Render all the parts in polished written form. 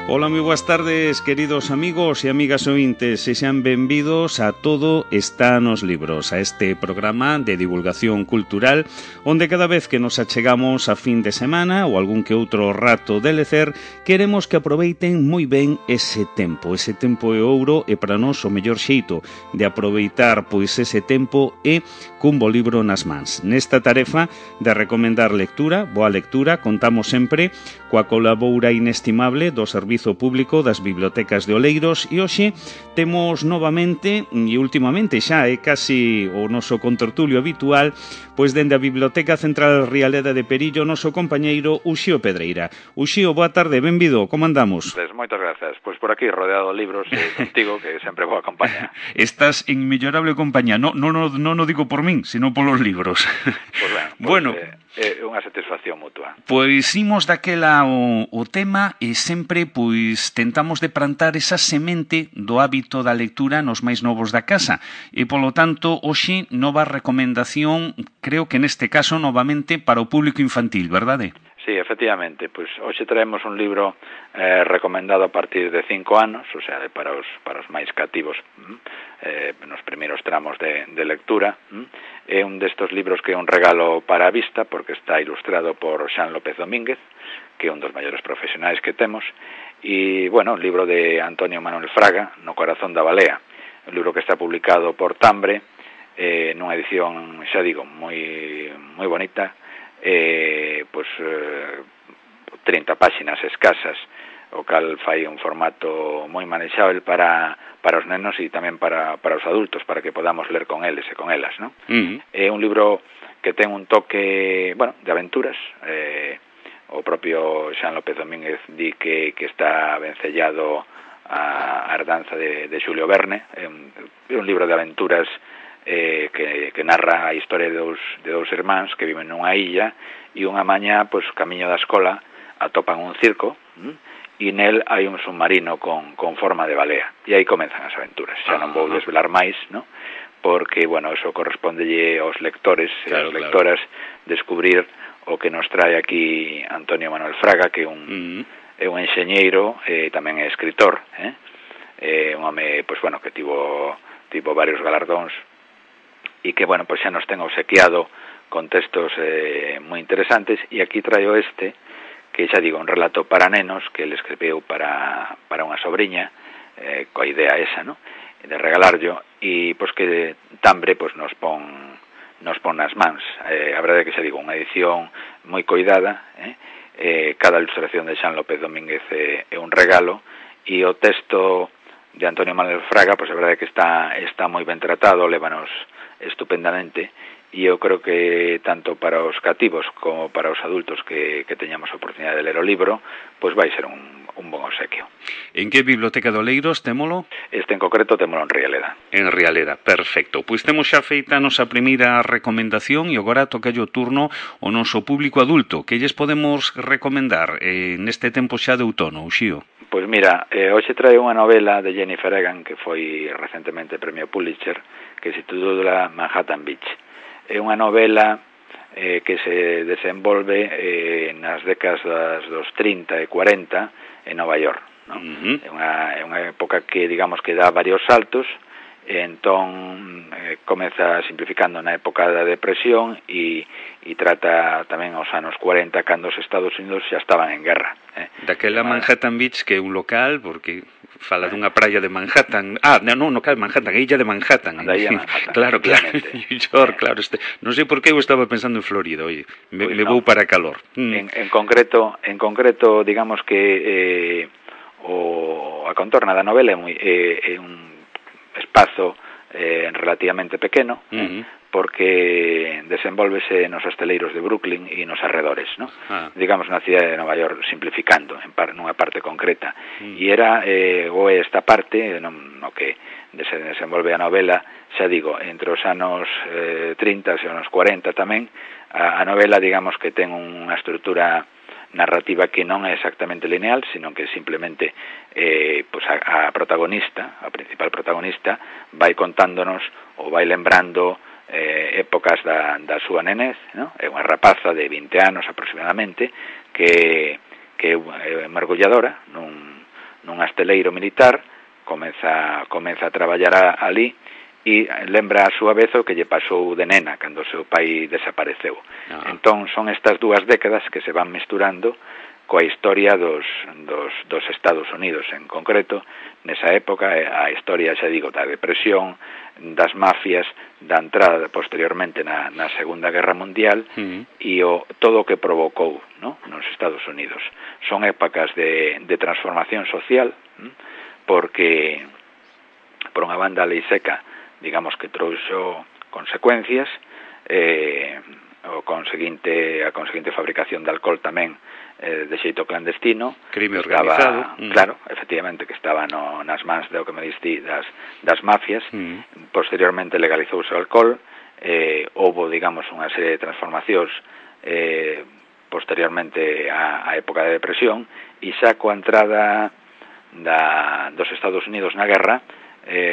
Ola, moi boas tardes, queridos amigos e amigas ointes, e sean benvidos a Todo está nos libros, a este programa de divulgación cultural, onde cada vez que nos achegamos a fin de semana ou algún que outro rato de lecer, queremos que aproveiten moi ben ese tempo é ouro, e para nós o mellor xeito de aproveitar pois ese tempo é cun bo libro nas mans. Nesta tarefa de recomendar lectura, boa lectura, contamos sempre coa colabora inestimable do Servizo Público das Bibliotecas de Oleiros e hoxe temos novamente, e últimamente xa é casi o noso contertulio habitual, pois dende a Biblioteca Central Rialeda de Perillo, o noso compañeiro Uxío Pedreira. Uxío, boa tarde, benvido, como andamos? Pues moitas grazas, pois por aquí rodeado de libros contigo, que sempre vou acompañar. Estás en mellorable compañía, non o digo por min, sino polos libros. Pois bueno, é unha satisfacción mutua. Pois imos daquela o tema e sempre pois tentamos de plantar esa semente do hábito da lectura nos máis novos da casa e polo tanto hoxe nova recomendación, creo que neste caso novamente para o público infantil, verdade? Sí, efectivamente, pois hoxe traemos un libro recomendado a partir de 5 anos, o sea, para os máis cativos nos primeiros tramos de lectura. É un destos libros que é un regalo para a vista, porque está ilustrado por Xan López Domínguez, que é un dos maiores profesionais que temos, e, bueno, un libro de Antonio Manuel Fraga, No corazón da balea, un libro que está publicado por Tambre, nunha edición, xa digo, moi bonita, pois 30 páxinas escasas, o cal fai un formato moi manexável para os nenos e tamén para os adultos, para que podamos ler con eles e con elas, non? É un libro que ten un toque, bueno, de aventuras. O propio Xan López Domínguez di que está vencellado a herdanza de Xulio Verne. É un libro de aventuras que narra a historia de dous irmáns que viven nunha illa e unha mañá, pois, camiño da escola atopan un circo e nel hai un submarino con forma de balea e aí comenzan as aventuras. Xa non vou desvelar máis, non? Porque, bueno, eso correspondelle aos lectores e ás lectoras descubrir o que nos trae aquí Antonio Manuel Fraga, que é un enxeñeiro e tamén é escritor, un home, pois, bueno, que tivo varios galardóns e que, bueno, pois xa nos ten obsequiado con textos moi interesantes, e aquí traio que xa digo, un relato para nenos que ele escribiu para unha sobrinha, coa idea esa, ¿no?, de regalarlo, e pois que Tambre pois nos pon nas mans. A verdade é que xa digo, unha edición moi coidada, cada ilustración de Xan López Domínguez é un regalo, e o texto de Antonio Manuel Fraga, pois a verdade é que está moi ben tratado, lévanos estupendamente, e eu creo que tanto para os cativos como para os adultos que teñamos a oportunidade de ler o libro, pois vai ser un bon obsequio. En que biblioteca de Oleiros témolo? En concreto témolo en Rialeda. En Rialeda, perfecto. Pois temos xa feita a nosa primeira recomendación e agora toca o turno ao noso público adulto. Que lles podemos recomendar neste tempo xa de outono, Uxío? Pois mira, hoxe trae unha novela de Jennifer Egan que foi recentemente premio Pulitzer, que se titula Manhattan Beach. É unha novela que se desenvolve nas décadas dos 30 e 40 en Nova York, ¿no? É unha época que, digamos, que dá varios saltos, e entón comeza simplificando na época da depresión e trata tamén aos anos 40, cando os Estados Unidos xa estaban en guerra. Daquela Manhattan Beach, que é un local, porque fala dunha praia de Manhattan. Non, cal Manhattan, a illa de Manhattan. Da illa de Manhattan. Claro. New York, claro. Non sei por que eu estaba pensando en Florida, oye, me vou para calor. En concreto, digamos que a contorna da novela é un espazo relativamente pequeno, porque desenvolvese nos hosteleiros de Brooklyn e nos arredores, ¿no? Digamos, na cidade de Nova York, simplificando nunha parte concreta. E era esta parte no que se desenvolve a novela, xa digo, entre os anos 30 e os anos 40 tamén. A novela, digamos, que ten unha estrutura narrativa que non é exactamente lineal, sino que simplemente pues a protagonista, a principal protagonista, vai contándonos ou vai lembrando épocas da súa nenez, ¿no? É unha rapaza de 20 anos aproximadamente que é mergulladora nun asteleiro militar, comeza a traballar ali, e lembra a súa vez o que lle pasou de nena cando o seu pai desapareceu. Entón son estas dúas décadas que se van mesturando coa historia dos Estados Unidos en concreto. Nesa época a historia, xa digo, da depresión, das mafias, da entrada posteriormente na Segunda Guerra Mundial e todo o que provocou, ¿no?, nos Estados Unidos. Son épocas de transformación social, porque por unha banda a lei seca, digamos que trouxo consecuencias, a conseguinte fabricación de alcohol tamén de xeito clandestino, crime organizado, claro, efectivamente, que estaba nas mans do que me diste das mafias. Posteriormente legalizouse o alcohol, houbo, digamos, unha serie de transformacións posteriormente á época de depresión, e xa coa entrada dos Estados Unidos na guerra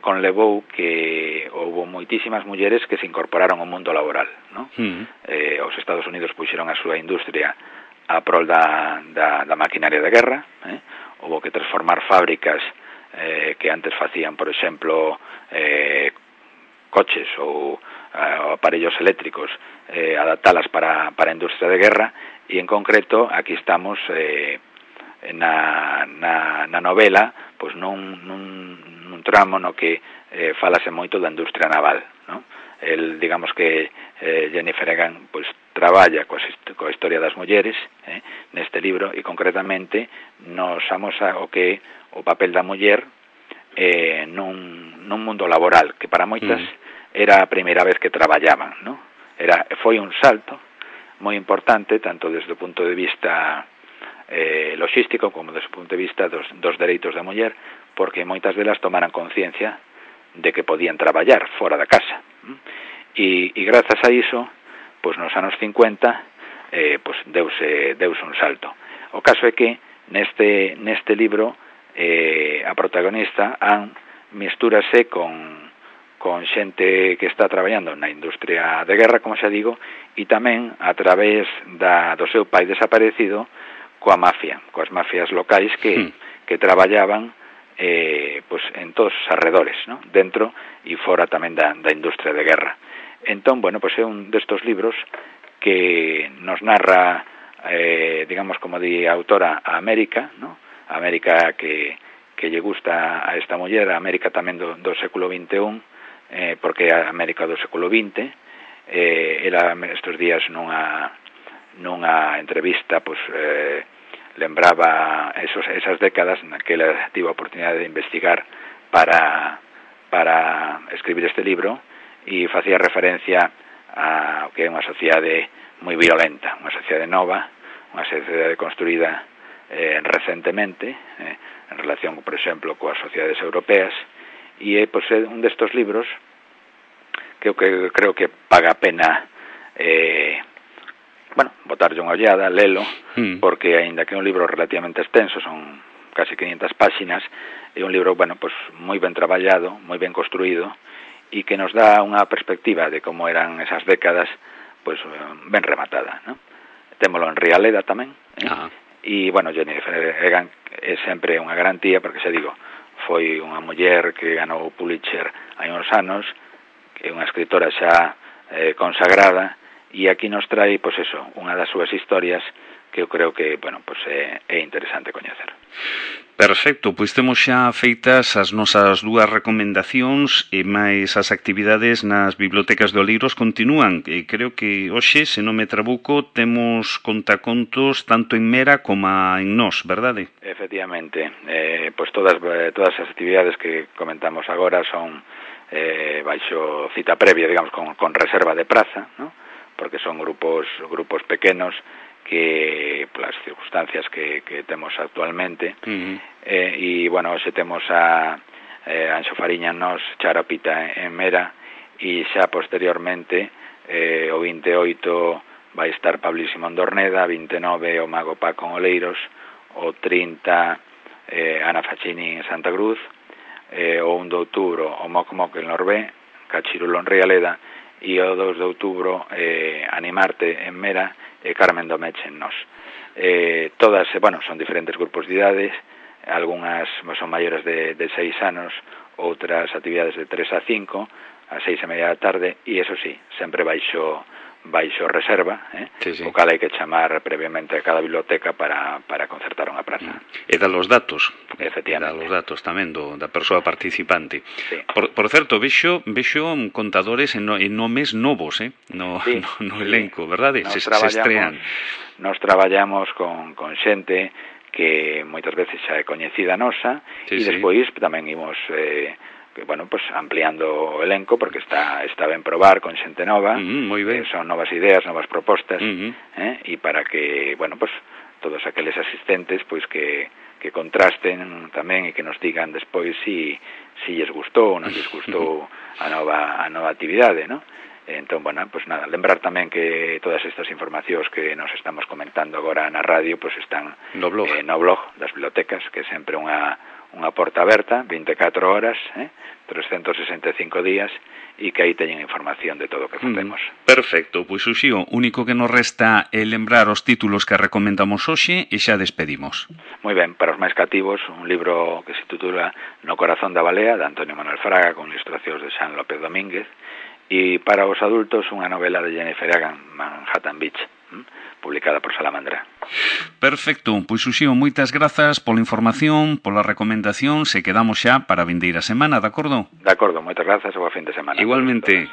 conlevou que houbo moitísimas mulleres que se incorporaron ao mundo laboral, ¿no? Os Estados Unidos puxeron a súa industria a prol da maquinaria de guerra, houbo que transformar fábricas que antes facían, por exemplo, coches ou aparellos eléctricos, adaptalas para a industria de guerra, e en concreto aquí estamos na novela, pois nun tramo no que falase moito da industria naval, ¿no? Digamos que Jennifer Egan pois traballa coa historia das mulleres neste libro, e concretamente nos amosa o que o papel da muller nun mundo laboral que para moitas era a primeira vez que traballaban, ¿no? Foi un salto moi importante tanto desde o punto de vista logístico como desde o punto de vista dos dereitos da muller, porque moitas delas tomaran conciencia de que podían traballar fora da casa, e grazas a iso, pois nos anos 50 pois deuse un salto. O caso é que neste libro a protagonista Anne mistúrase con xente que está traballando na industria de guerra, como xa digo, e tamén a través do seu pai desaparecido coas mafias locais que traballaban pois en todos os arredores, ¿no?, dentro e fora tamén da industria de guerra. Entón, bueno, pois é un destos libros que nos narra, digamos, como di a autora, a América, ¿no?, a América que lle gusta a esta muller, a América tamén do século XXI, porque é a América do século XX. Ela estes días nunha entrevista pois lembraba esas décadas na que ela tivo a oportunidade de investigar para escribir este libro, e facía referencia a que é unha sociedade moi violenta, unha sociedade nova, unha sociedade construída recentemente en relación, por exemplo, coas sociedades europeas, e é un destos libros que eu creo que paga a pena botarlle unha ollada, lelo, porque aínda que é un libro relativamente extenso, son casi 500 páxinas, é un libro, moi ben traballado, moi ben construído, e que nos dá unha perspectiva de como eran esas décadas, pois ben rematada, ¿no? Témolo en Rialeda tamén, e, Jennifer Egan é sempre unha garantía, porque xa digo, foi unha muller que ganou o Pulitzer hai uns anos, que é unha escritora xa consagrada, e aquí nos trae, unha das súas historias que eu creo que, é interesante coñecer. Perfecto, pois temos xa feitas as nosas dúas recomendacións, e máis as actividades nas bibliotecas de Oleiros continúan, e creo que hoxe, se non me trabuco, temos contacontos tanto en Mera como en Nós, verdade? Efectivamente, pois todas as actividades que comentamos agora son baixo cita previa, digamos, con reserva de praza, ¿no?, porque son grupos pequenos que, polas circunstancias que temos actualmente, e, hoxe temos a Anxo Fariña Nós, Charapita en Mera, e xa posteriormente, o 28 vai estar Pablo Simón Dorneda, 29 o Mago Paco en Oleiros, o 30 Ana Facchini en Santa Cruz, o 1 de outubro o Moc Moc en Lorbé, Cachirulo en Rialeda, e o 2 de outubro Animarte en Mera e Carmen Domeche en Nós. Todas, son diferentes grupos de idades, algunhas son maiores de 6 anos, outras actividades de 3 a 5, a 6:30 da tarde, e eso sí, sempre baixo reserva, o cal hai que chamar previamente a cada biblioteca para concertar unha praza. E dar os datos, efectivamente. Dar os datos tamén da persoa participante. Sí. Por certo, vexo contadores en nomes novos, no elenco, verdade? Se estrean. Nos traballamos con xente que moitas veces xa é coñecida nosa, e despois tamén imos ampliando o elenco, porque está ben probar con xente nova, moi ben. Son novas ideas, novas propostas, e para que, todos aqueles asistentes, que contrasten tamén e que nos digan despois si lles gustou ou non lles gustou a nova actividade, non? Entón, nada, lembrar tamén que todas estas informacións que nos estamos comentando agora na radio, están no blog das bibliotecas, que é sempre unha porta aberta, 24 horas, 365 días, e que aí teñen información de todo o que facemos. Perfecto, pois Uxío, único que nos resta é lembrar os títulos que recomendamos hoxe e xa despedimos. Moi ben, para os máis cativos, un libro que se titula No corazón da balea, de Antonio Manuel Fraga, con ilustracións de Xan López Domínguez, e para os adultos unha novela de Jennifer Egan, Manhattan Beach, publicada por Salamandra. Perfecto, pois Uxío, moitas grazas pola información, pola recomendación, se quedamos xa para a vindeira semana, de acordo? De acordo, moitas grazas e boa fin de semana. Igualmente.